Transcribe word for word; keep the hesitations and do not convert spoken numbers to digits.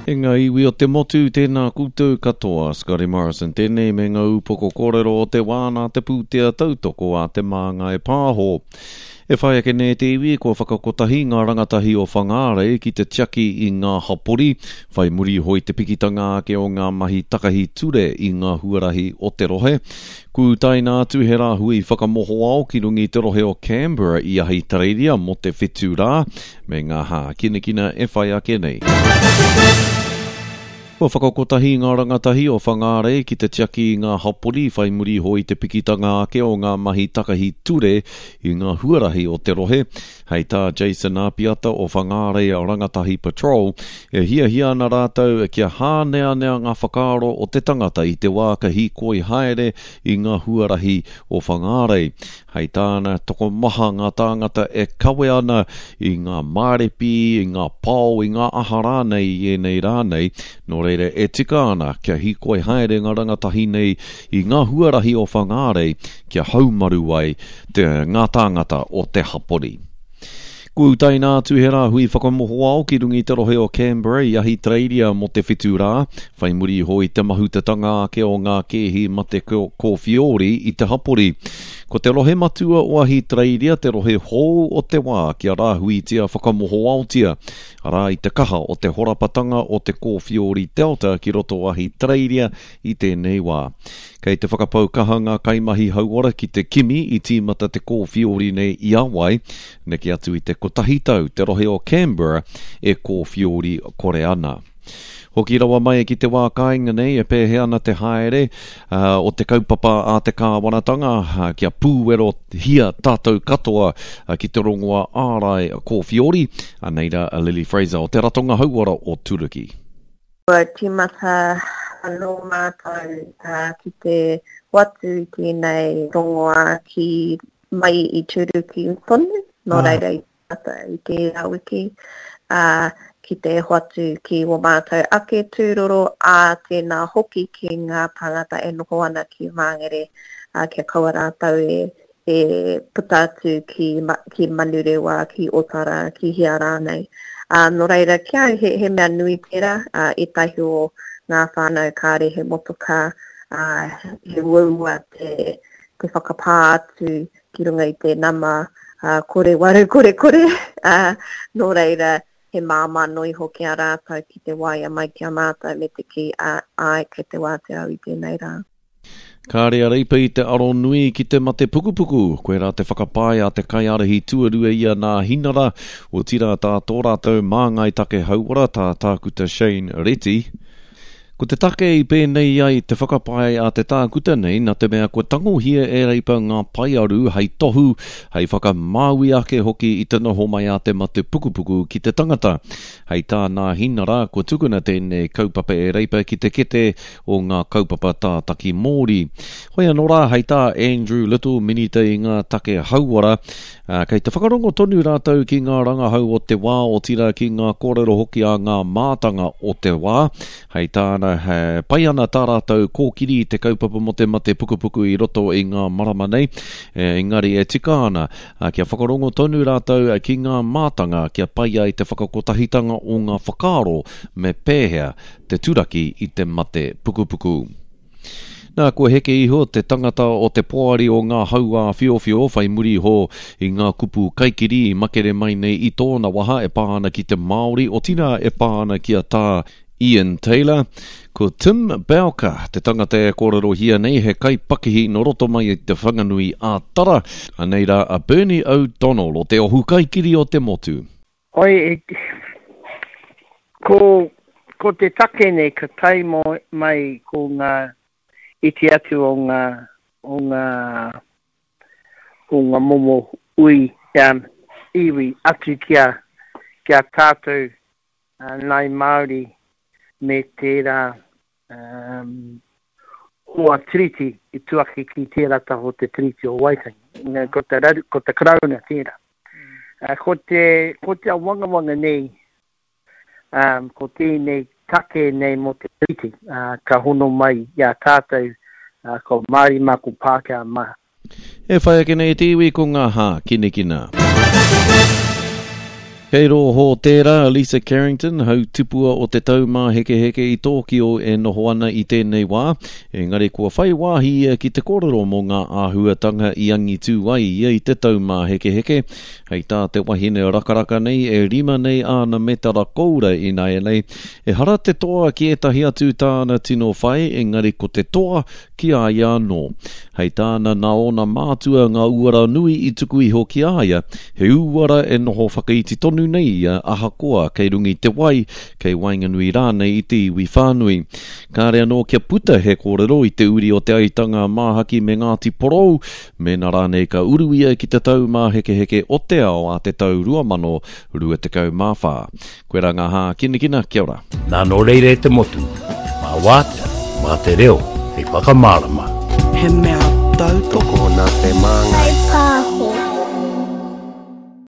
E ngā iwi o te motu, tēnā koutou katoa, Scotty Morrison tēnei me ngā upoko kōrero o te wā nā te pūtea tautoko a Te Māngai Pāho. E whai ake nei te iwi, kua whakakotahi ngā rangatahi o Whangārei ki te tiaki i ngā hapori, whai muri iho i te pikitanga ake o ngā mahi takahi ture i ngā huarahi o te rohe. Kūtaina atu he rāhui whakamohoao ki runga i te rohe o Canberra i Ahitereiria mō te whitu rā, me ngā hākinakina e whai ake nei. Kua whakakotahi ngā rangatahi o Whangārei ki te tiaki i ngā hapori whai muri iho i te pikitanga ake o ngā mahi takahi ture i ngā huarahi o te rohe. Hei tā Jason Apiata o Whangārei Rangatahi Patrol, e hiahia ana rātou kia hāneanea ngā whakaaro o te tangata i te wā ka hīkoi haere i ngā huarahi o Whangārei. Hei tāna, tokomaha ngā tāngata e kawe ana i ngā mārepi, i ngā pao, i ngā aha rānei i ēnei rā nei, nō reira e tika ana kia hīkoi haere ngā rangatahi nei i ngā huarahi o Whangārei kia haumaru ai te, ngā tāngata o te hapori. Kua utaina atu he rāhui whakamohoao ki runga i te rohe o Canberra i Ahitereiria mō te whitu rā, whai muri iho i te mahutatanga ake o ngā kēhi mate kōwhiori i te hapori. Ko te rohe matua o Ahitereiria te rohe hou o te wā kia rāhuitia whakamohoaotia, arā i te kaha o te horapatanga o te kōwhiori Delta ki roto o Ahitereiria i tēnei wā. Kei te whakapau kaha ngā kaimahi hauora ki te kimi i tīmata te kōwhiori nei i a wai, neke atu i te kotahi tau te rohe o Canberra e kōwhiori kore ana. Hoki rawa mai ki te wā kāinga nei e pēhea ana te haere uh, o te kaupapa a te kāwanatanga uh, kia pūwerohia tātou katoa uh, ki te rongoa ārai kōwhiori. Anei rā a Lily Fraser o te Ratonga Hauora o Turuki. Kua tīmata anō mātou uh, ki te hoatu i tēnei rongoā ki mai i Turuki tonu, nō ah. reira i tīmata i tērā wiki, uh, ki te hoatu ki wō mātou ake tūroro, ā tēnā hoki ki ngā tāngata e noho ana ki Māngere, uh, kia kaua rātou e, e puta atu ki, ki Manurewa, ki Otara, ki hea rānei. Uh, nō reira, ki au he, he mea nui tērā, uh, ētahi o ngā whānau kāre he motokā, uh, he uaua te, te whakapā atu ki runga i te nama uh, kore waru kore kore. Uh, nō reira, he māmā noa iho ki a rātou ki te waea mai ki a mātou me te kī, uh, ai, kei te wātea au i tēnei rā. Kāre a Reipa i te aro nui ki te mate pukupuku, koirā te whakapae a te kaiārahi tuarua ia nā Hinara, otirā tā tō rātou māngai take hauora tā Tākuta Shane Reti. Ko te take i pēnei ai te whakapae a te tākuta nei nā te mea kua tangohia e Reipa ngā paearu hei tohu, hei whakamāui ake hoki i te noho mai a te mate pukupuku ki te tangata. Hei tā nā Hinara, kua tukuna tēnei kaupapa e Reipa ki te kete o ngā kaupapa tātaki Māori. Hoi anō rā, hei tā Andrew Little, minita i ngā take hauora, kei te whakarongo tonu rātou ki ngā rangahau o te wā, otirā ki ngā kōrero hoki a ngā mātanga o te wā. Hei tāna, he pai ana tā rātou kōkiri i te kaupapa mō te mate pukupuku i roto i ngā marama nei, engari e tika ana kia whakarongo tonu rātou ki ngā mātanga kia pai ai te whakakotahitanga o ngā whakaaro me pēhea te turaki i te mate pukupuku. Nā, kua heke iho te tangata o te poari o ngā hauāwhiowhio whai muri iho i ngā kupu kaikiri i makere mai nei i tōna waha e pā ana ki te Māori, otirā e pā ana ki a tā Ian Taylor. Ko Tim Bowker, te tangata e kōrerohia nei, he kaipakihi nō roto mai i te Whanganui a Tara. Anei rā a Bernie O'Donnell o te Ohu Kaikiri o te Motu. Oi, ko, ko te take nei ka tae mai ko ngā iti atu o ngā, o ngā, o ngā momo ui, um, iwi atu ki a, ki a tātou uh, Ngai Māori me tērā um, hoa tiriti i tuaki ki tērā taha o te Tiriti o Waitangi. Ko te, raru, ko te Karauna tērā. Uh, ko te, ko te awangawanga nei, um, ko tēnei take nei mō te tiriti, uh, ka hono mai i a tātou, uh, ko Māori mā, ko Pākehā mā. E whai ake nei te iwi ko ngā hākinakina. Kei rō hōtēra, Lisa Carrington, hautipua o te Taumāhekeheke i Tōkio e noho ana i tēnei wā, engari kua whai wāhi ia ki te kōrero mō ngā āhuatanga i angitū ai ia i te Taumāhekeheke. Hei tā te wahine rakaraka nei e rima nei āna metara koura ināianei, ehara te toa ki ētahi atu tāna tino whai, engari ko te toa ki a ia anō. Hei tāna nā ōna mātua ngā uara nui i tuku iho ki a ia, he uara e noho whakaiti tonu nei ia ahakoa kei runga i te wai, kei waenganui rānei i te iwi whānui. Kāre anō kia puta he kōrero i te uri o Te Aitanga Māhaki me Ngāti Porou, mēnā rānei ka uru ia ki te Taumāhekeheke o te ao a te tau rua mano rua tekau mā whā. Koe rā ngā hākinakina, kia ora. Nā nō reira e te motu, mā wātea, mā te reo, hei whakamārama. He mea tautoko Tokona te māngai. Hei pā